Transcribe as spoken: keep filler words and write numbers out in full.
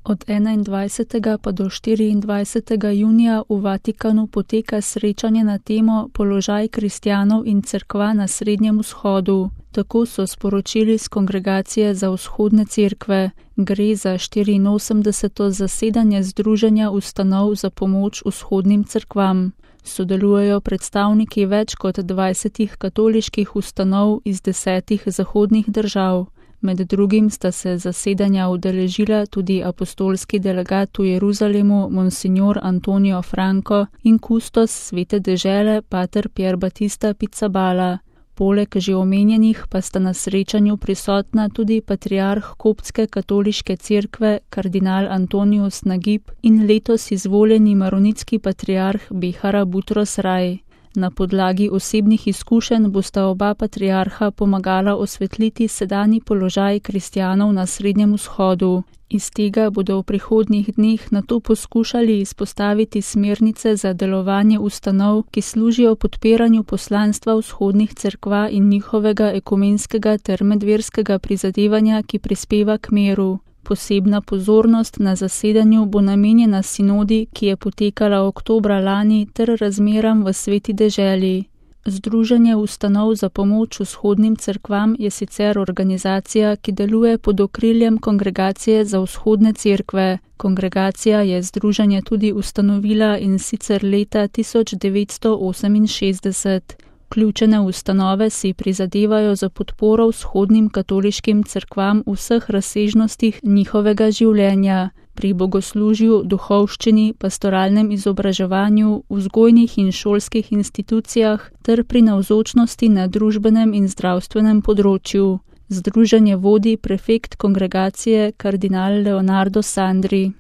Od enaindvajsetega pa do štiriindvajsetega junija v Vatikanu poteka srečanje na temo Položaj kristjanov in cerkva na Srednjem vzhodu. Tako so sporočili s Kongregacije za vzhodne cerkve. Gre za štiriinosemdeseto zasedanje Združenja ustanov za pomoč vzhodnim cerkvam. Sodelujejo predstavniki več kot dvajsetih katoliških ustanov iz desetih zahodnih držav. Med drugim sta se zasedanja udeležila tudi apostolski delegat v Jeruzalemu Monsignor Antonio Franco in kustos Svete dežele pater Pier Battista Pizzaballa. Poleg že omenjenih pa sta na srečanju prisotna tudi patriarh koptske katoliške cerkve kardinal Antonius Nagib in letos izvoljeni maronitski patriarh Behara Butros Rai. Na podlagi osebnih izkušenj bosta oba patriarha pomagala osvetliti sedanji položaj kristjanov na Srednjem vzhodu. Iz tega bodo v prihodnjih dneh nato poskušali izpostaviti smernice za delovanje ustanov, ki služijo podpiranju poslanstva vzhodnih cerkva in njihovega ekumenskega ter medverskega prizadevanja, ki prispeva k miru. Posebna pozornost na zasedanju bo namenjena sinodi, ki je potekala oktobra lani, ter razmeram v Sveti deželi. Združenje ustanov za pomoč vzhodnim cerkvam je sicer organizacija, ki deluje pod okriljem Kongregacije za vzhodne cerkve. Kongregacija je združenje tudi ustanovila in sicer leta tisoč devetsto oseminšestdeset. Vključene ustanove si prizadevajo za podporo vzhodnim katoliškim cerkvam v vseh razsežnostih njihovega življenja, pri bogoslužju, duhovščini, pastoralnem izobraževanju, vzgojnih in šolskih institucijah ter pri navzočnosti na družbenem in zdravstvenem področju. Združenje vodi prefekt kongregacije kardinal Leonardo Sandri.